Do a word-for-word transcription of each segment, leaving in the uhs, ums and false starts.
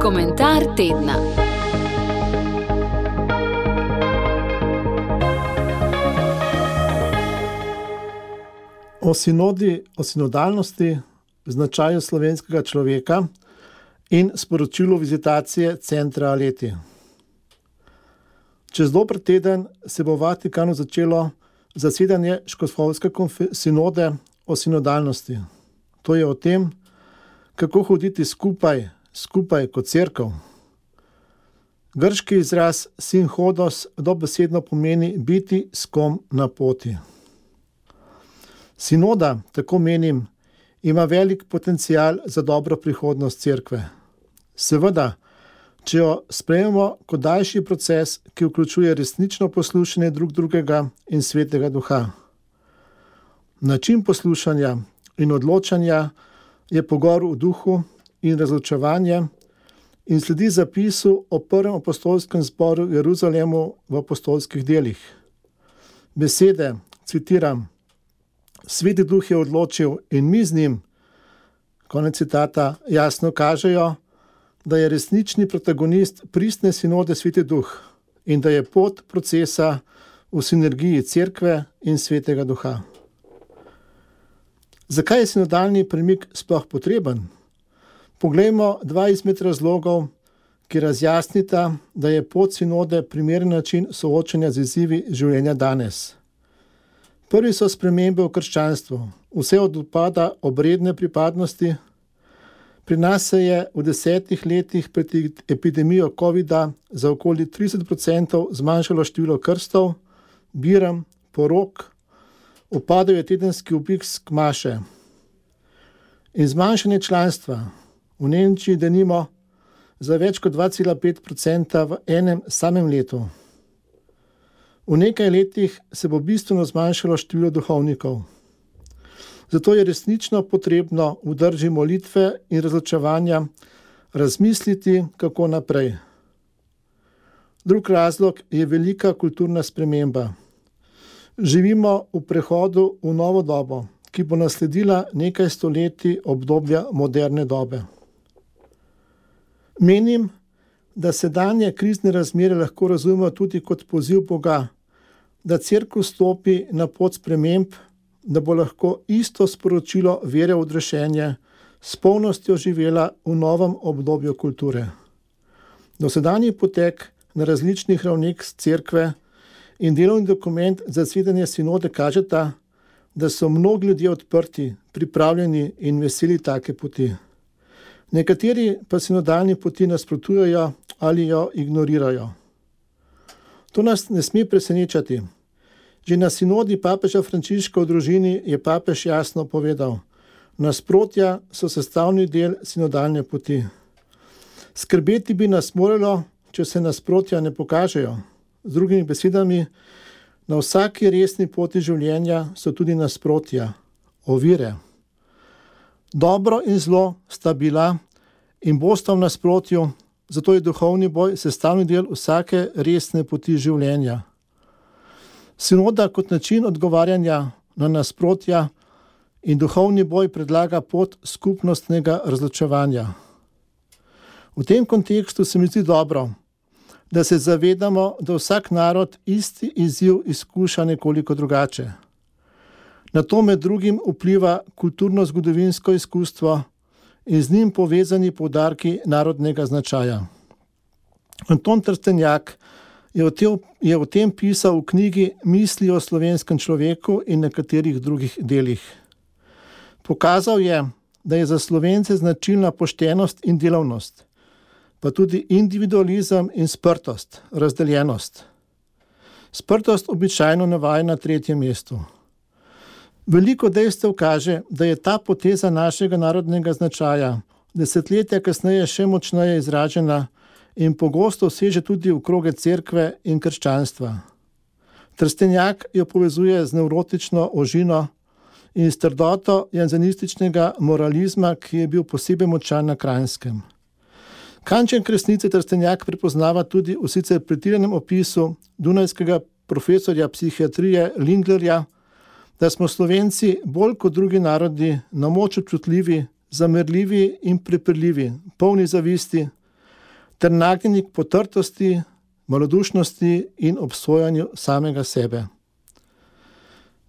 Komentar tedna. O sinodi, o sinodalnosti, značaju slovenskega človeka in sporočilu vizitacije centra Aleti. Čez dober teden se bo v Vatikanu začelo zasedanje Škofovske sinode o sinodalnosti. To je o tem, kako hoditi skupaj, skupaj kot cerkev. Grški izraz sinhodos dobesedno pomeni biti s kom na poti. Sinoda, tako menim, ima velik potencial za dobro prihodnost cerkve. Seveda, če jo sprejmemo kot daljši proces, ki vključuje resnično poslušanje drug drugega in svetega duha. Način poslušanja in odločanja je pogor v duhu in razločevanje in sledi zapisu o prvem apostolskem zboru v Jeruzalemu v apostolskih delih. Besede, citiram, Sveti duh je odločil in mi z njim, konec citata, jasno kažejo, da je resnični protagonist pristne sinode Sveti duh in da je pot procesa v sinergiji cerkve in svetega duha. Zakaj je sinodalni premik sploh potreben? Poglejmo dva izmed razlogov, ki razjasnita, da je pot sinode primeren način soočanja z izzivi življenja danes. Prvi so spremembe v krščanstvu, vse od upada obredne pripadnosti. Pri nas se je v desetih letih pred epidemijo covida za okoli trideset procentov zmanjšalo število krstov, biram, porok, upadel je tedenski obisk maše. In zmanjšanje članstva v Nemčiji denimo za več kot dva cela pet procenta v enem samem letu. V nekaj letih se bo bistveno zmanjšalo število duhovnikov. Zato je resnično potrebno v drži molitve in razločevanja razmisliti, kako naprej. Drug razlog je velika kulturna sprememba. Živimo v prehodu v novo dobo, ki bo nasledila nekaj stoletij obdobja moderne dobe. Menim, da sedanje krizne razmere lahko razumemo tudi kot poziv Boga, da cerkev stopi na pot sprememb, da bo lahko isto sporočilo vere v odrešenje s polnostjo živela v novem obdobju kulture. Dosedanji potek na različnih ravneh cerkve in delovni dokument za zasedanje sinode kažeta, da so mnogi ljudje odprti, pripravljeni in veseli take poti. Nekateri pa sinodalni poti nasprotujejo ali jo ignorirajo. To nas ne sme presenečati. Že na sinodi papeža Frančiška o družini je papež jasno povedal, nasprotja so sestavni del sinodalne poti. Skrbeti bi nas moralo, če se nasprotja ne pokažejo. Z drugimi besedami, na vsaki resni poti življenja so tudi nasprotja, ovire. Dobro in zlo sta bila in bosta v nasprotju, zato je duhovni boj sestavni del vsake resne poti življenja. Sinoda kot način odgovarjanja na nasprotja in duhovni boj predlaga pot skupnostnega razločevanja. V tem kontekstu se mi zdi dobro, da se zavedamo, da vsak narod isti izziv izkuša nekoliko drugače. Na to med drugim vpliva kulturno-zgodovinsko izkustvo in z njim povezani poudarki narodnega značaja. Anton Trstenjak je o, tem, je o tem pisal v knjigi Misli o slovenskem človeku in nekaterih drugih delih. Pokazal je, da je za Slovence značilna poštenost in delavnost, pa tudi individualizem in sprtost, razdeljenost. Sprtost običajno navaja na tretjem mestu. Veliko dejstev kaže, da je ta poteza našega narodnega značaja desetletja kasneje še močneje izražena in pogosto seže tudi v kroge cerkve in krščanstva. Trstenjak jo povezuje z nevrotično ožino in s trdoto janzenističnega moralizma, ki je bil posebej močan na Kranjskem. Kanček resnice Trstenjak prepoznava tudi v sicer pretiranem opisu dunajskega profesorja psihiatrije Linglerja, da smo Slovenci bolj kot drugi narodi na moč občutljivi zamerljivi in prepirljivi, polni zavisti, ter nagnjeni k potrtosti, malodušnosti in obsojanju samega sebe.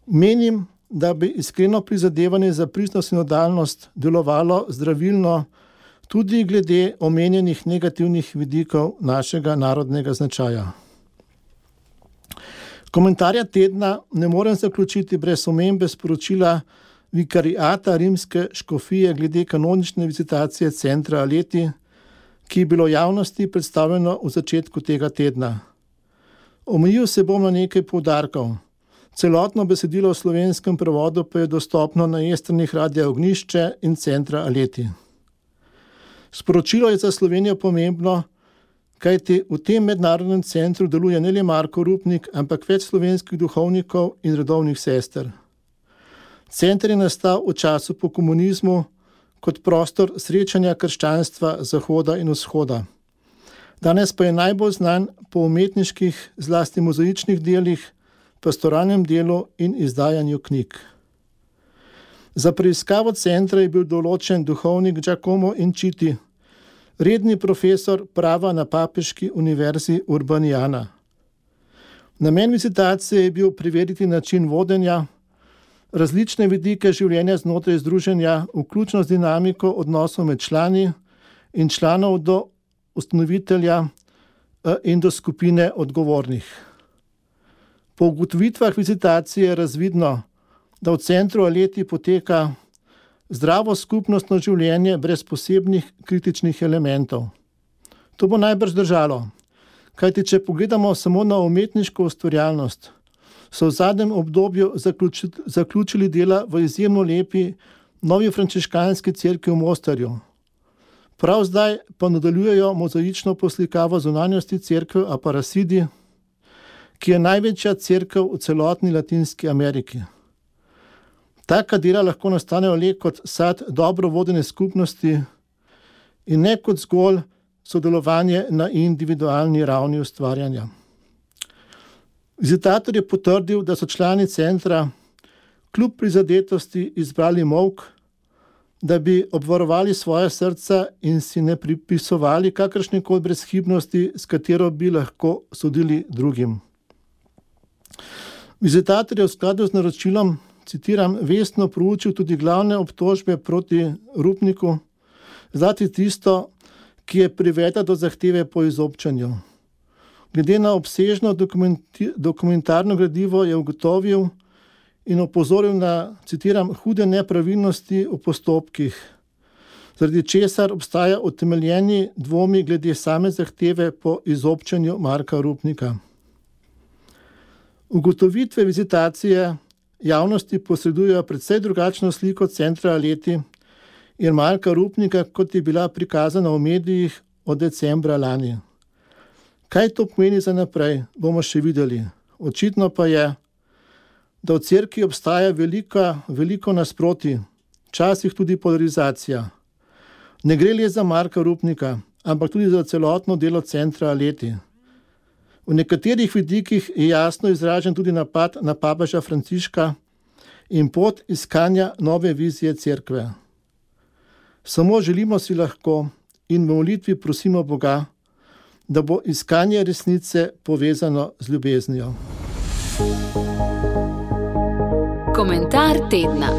Menim, da bi iskreno prizadevanje za pristno sinodalnost delovalo zdravilno tudi glede omenjenih negativnih vidikov našega narodnega značaja. Komentarja tedna ne morem zaključiti brez omembe sporočila vikariata rimske škofije glede kanonične vizitacije centra Aleti, ki je bilo javnosti predstavljeno v začetku tega tedna. Omejil se bom na nekaj poudarkov. Celotno besedilo v slovenskem prevodu pa je dostopno na e-stranih Radia Ognjišče in centra Aleti. Sporočilo je za Slovenijo pomembno, kajti v tem mednarodnem centru deluje ne le Marko Rupnik, ampak več slovenskih duhovnikov in redovnih sester. Center je nastal v času po komunizmu kot prostor srečanja krščanstva Zahoda in Vzhoda. Danes pa je najbolj znan po umetniških, zlasti mozaičnih delih, pastoralnem delu in izdajanju knjig. Za preiskavo centra je bil določen duhovnik Giacomo Inciti, redni profesor prava na Papeški univerzi Urbaniana. Namen vizitacije je bil preveriti način vodenja, različne vidike življenja znotraj združenja, vključno z dinamiko odnosov med člani in članov do ustanovitelja in do skupine odgovornih. Po ugotovitvah vizitacije je razvidno, da v centru Aleti poteka zdravo skupnostno življenje brez posebnih kritičnih elementov. To bo najbrž držalo, kajti če pogledamo samo na umetniško ustvarjalnost, so v zadnjem obdobju zaključili dela v izjemno lepi novi frančiškanski cerkvi v Mostarju. Prav zdaj pa nadaljujejo mozaično poslikavo zunanjosti cerkve Aparacidi, ki je največja cerkev v celotni Latinski Ameriki. Taka dela lahko nastanejo le kot sad dobro vodene skupnosti in ne kot zgolj sodelovanje na individualni ravni ustvarjanja. Vizitator je potrdil, da so člani centra kljub prizadetosti izbrali molk, da bi obvarovali svoje srca in si ne pripisovali kakršnekoli brezhibnosti, s katero bi lahko sodili drugim. Vizitator je v skladu z naročilom, citiram, vestno proučil tudi glavne obtožbe proti Rupniku, zlasti tisto, ki je privedla do zahteve po izobčanju. Glede na obsežno dokumentarno gradivo je ugotovil in opozoril na, citiram, hude nepravilnosti v postopkih, zaradi česar obstaja utemeljeni dvomi glede same zahteve po izobčanju Marka Rupnika. Ugotovitve vizitacije javnosti posredujejo precej drugačno sliko centra Aleti in Marka Rupnika, kot je bila prikazana v medijih od decembra lani. Kaj to pomeni za naprej, bomo še videli. Očitno pa je, da v cerkvi obstaja velika, veliko nasprotij, včasih tudi polarizacija. Ne gre le za Marka Rupnika, ampak tudi za celotno delo centra Aleti. V nekaterih vidikih je jasno izražen tudi napad na papeža Frančiška in pot iskanja nove vizije cerkve. Samo želimo si lahko in v molitvi prosimo Boga, da bo iskanje resnice povezano z ljubeznijo. Komentar tedna.